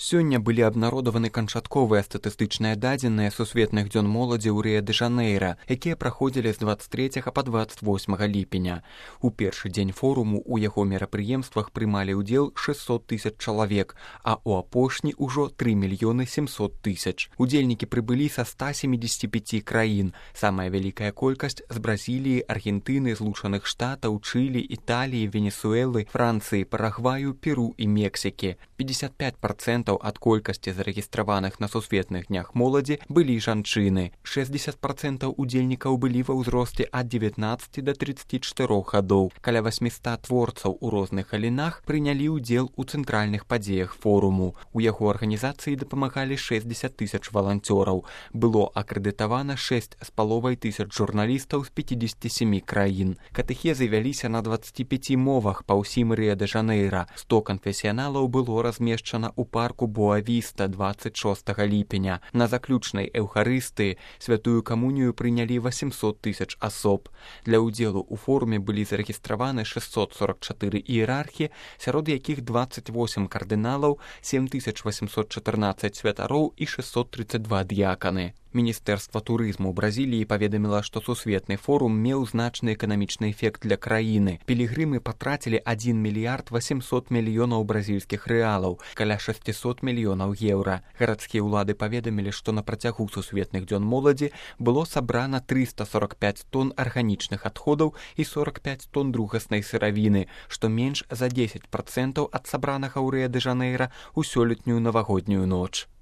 Сёння былі абнародаваны канчатковыя статыстычныя дадзеныя сусветных дзён моладзі ў Рыа-дэ-Жанэйра, якія праходзілі з 23 па 28 ліпеня. У першы дзень форуму ў яго мерапрыемствах прымалі ўдзел 600 000 чалавек, а ў апошні ўжо 3 700 000. Удзельнікі прыбылі са 175 краін. Самая вялікая колькасць з Бразіліі, Аргентыны, Злучаных Штатаў, Чылі, Італіі, Венесуэлы, Францыі, Парагваю, Перу і Мексікі. 55% ад колькасці зарэгістраваных на сусветных днях моладзі былі жанчыны. 60% удзельнікаў былі ва ўзросце ад 19 до 34 гадоў. Каля 800 творцаў у розных галінах прынялі ўдзел у цэнтральных падзеях форуму. У яго арганізацыі дапамагалі 60 000 валанцёраў. Было акрэдытавана 6,5 тысяч журналістаў з 57 краін. Катэхезы вяліся на 25 мовах па ўсім Рыа-дэ-Жанэйра. 100 канфесіяналаў было размешчана ў парку Боа-Віста 26 ліпеня. На заключнай эўхарыстыі святую камунію прынялі 800 000 асоб. Для ўдзелу ў форуме былі зарэгістраваны 644 іерархі, сярод якіх 28 кардыналаў, 7814 святароў і 632 д'яканы. Міністэрства турызму Бразіліі паведаміла, што сусветны форум меў значны эканамічны эфект для краіны. Пілігрымы патрацілі 1 мільярд 800 мільёнаў бразільскіх рэалаў, каля 600 мільёнаў еўра. Гарадскія ўлады паведамілі, што на працягу сусветных дзён моладзі было сабрана 345 тонн арганічных адходаў і 45 тонн другаснай сыравіны, што менш за 10% ад сабранага ў Рыа-дэ-Жанэйра ў сёлетнюю навагоднюю ноч.